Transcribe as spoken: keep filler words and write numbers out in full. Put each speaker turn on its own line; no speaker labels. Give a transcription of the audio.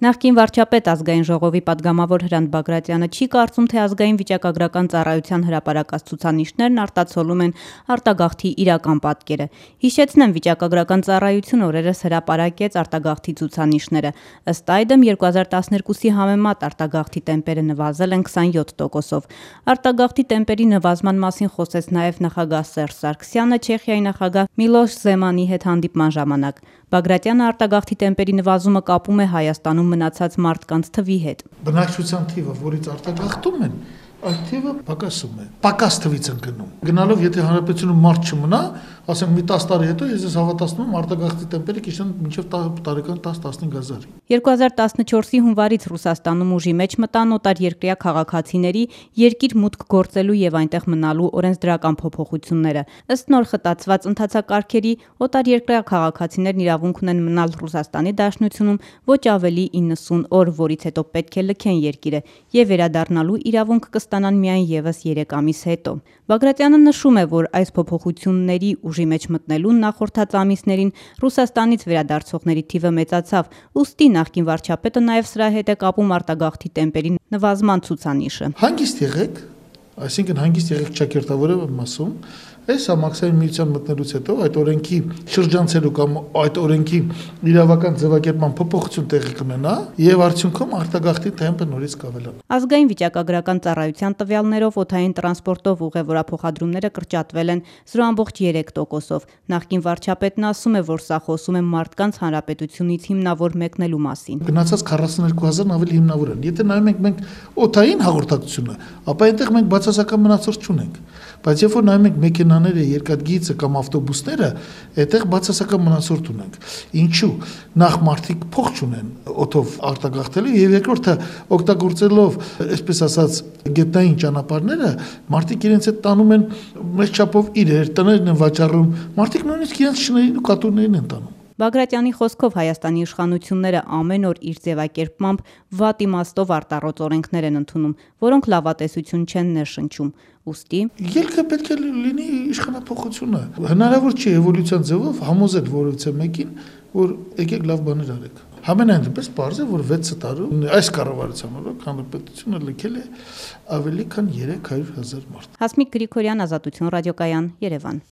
Նախկին վարչապետ ազգային ժողովի պատգամավոր Հրանտ Բագրատյանը չի կարծում, թե ազգային վիճակագրական ծառայության հրապարակած ցուցանիշներն արտացոլում են արտագաղթի իրական պատկերը։ Հիշեցնեմ, վիճակագրական ծառայությունը օրերս հրապարակեց արտագաղթի ցուցանիշները։ Ըստ այդմ երկու հազար տասներկուսի համեմատ արտագաղթի տեմպերը նվազել են քսանյոթ տոկոսով։ Արտագաղթի տեմպերի նվազման մասին խոսեց նաև նախագահ Սերժ Սարգսյանը Չեխիայի նախագահ Միլոշ Զեմանի հետ հանդիպման ժամանակ։ Բագրատյանը արտագաղթի տեմպերի նվազումը կապում է Հայաստանում մնացած մարդկանց թվի հետ։
Բնակչության թիվը, որից արտագաղթում են, այդ թիվը պակասում է։ Պակաս թվից են գնում։ Գնալով, եթե հանրապետությունում մարդ չմնա, ասենք մի տասը տարի հետո ես հավատացնում եմ արտագաղթի տեմպերը կիցնեն մինչև տարեկան տասը-տասնհինգ հազար։
երկու հազար տասնչորսի հունվարից Ռուսաստանում ուժի մեջ մտան օտարերկրյա քաղաքացիների երկիր մուտք գործելու եւ այնտեղ մնալու օրենսդրական փոփոխությունները։ Ըստ նոր խտացված ընթացակարգերի օտարերկրյա քաղաքացիներն իրավունք ունեն մնալ Ռուսաստանի Դաշնությունում ոչ ավելի իննսուն օր, որից հետո պետք է լքեն երկիրը եւ վերադառնալու իրավունք կստանան միայն եւս երեք ամիս հետո։ Բագրատյանը նշում է, որ այս փոփոխությունների ուժի մեջ մտնելուն նախորդած ամիսներին Ռուսաստանից վերադարձողների թիվը մեծացավ, ուստի նախկին վարչապետը նաև սրա հետ է կապում արտագաղթի տեմպերի նվազման ցուցանիշը։
Հանգիստ եղեք, այսինքն հանգիստ եղեք ճակերտավորը մասում, այս համակցային միության մտնելուց հետո այդ օրենքի շրջանցելու կամ այդ օրենքի իրավական ձևակերպման փոփոխություն տեղի կունենա եւ արդյունքում արտագաղթի տեմպը նորից կավելանա։
Ազգային վիճակագրական ծառայության տվյալներով օդային տրանսպորտով ուղևորափոխադրումները կրճատվել են զրո ամբողջ երեք տոկոսով։ Նախկին վարչապետն ասում է, որ սա խոսում է մարդկանց հանրապետությունից հիմնավոր մեկնելու մասին։
Գնացած քառասուներկու հազարն ավելի հիմնավոր են։ Եթե նայում ենք մենք օդային հաղորդակցությունը, ապա այնտեղ մենք բացասական մնացորդ չունենք։ Բայց երբ որ նայում ենք մեքենաները, երկաթգիծը կամ ավտոբուսները, այդտեղ բացասական մնացորդ ունենք։ Ինչու՞։ Նախ մարդիկ փող չունեն օդով արտագաղթելու եւ երկրորդը օգտագործելով, այսպես ասած, գետնային ճանապարհները, մարդիկ իրենց հետ տանում են մեծ չափով իրեր, տներն են վաճառում, մարդիկ նույնիսկ իրենց շներին ու կատուներին են տանում։
Բագրատյանի խոսքով Հայաստանի իշխանությունները ամեն օր իր ձևակերպմամբ վատ իմաստով արտառոց օրենքներ են ընդունում, որոնք լավատեսություն չեն ներշնչում։ Ուստի
ելքը պետք է լինի իշխանափոխությունը։ Հնարավոր չի էվոլյուցիան ձևով համոզել որևիցե մեկին, որ եկեք լավ բաներ արեք։ Համենայն դեպս պարզ է, որ վեց տարում այս կառավարության օրոք հանրապետությունը լքել է ավելի քան երեք հարյուր հազար մարդ։
Հասմիկ Գրիգորյան, Ազատություն ռադիոկայան, Երևան։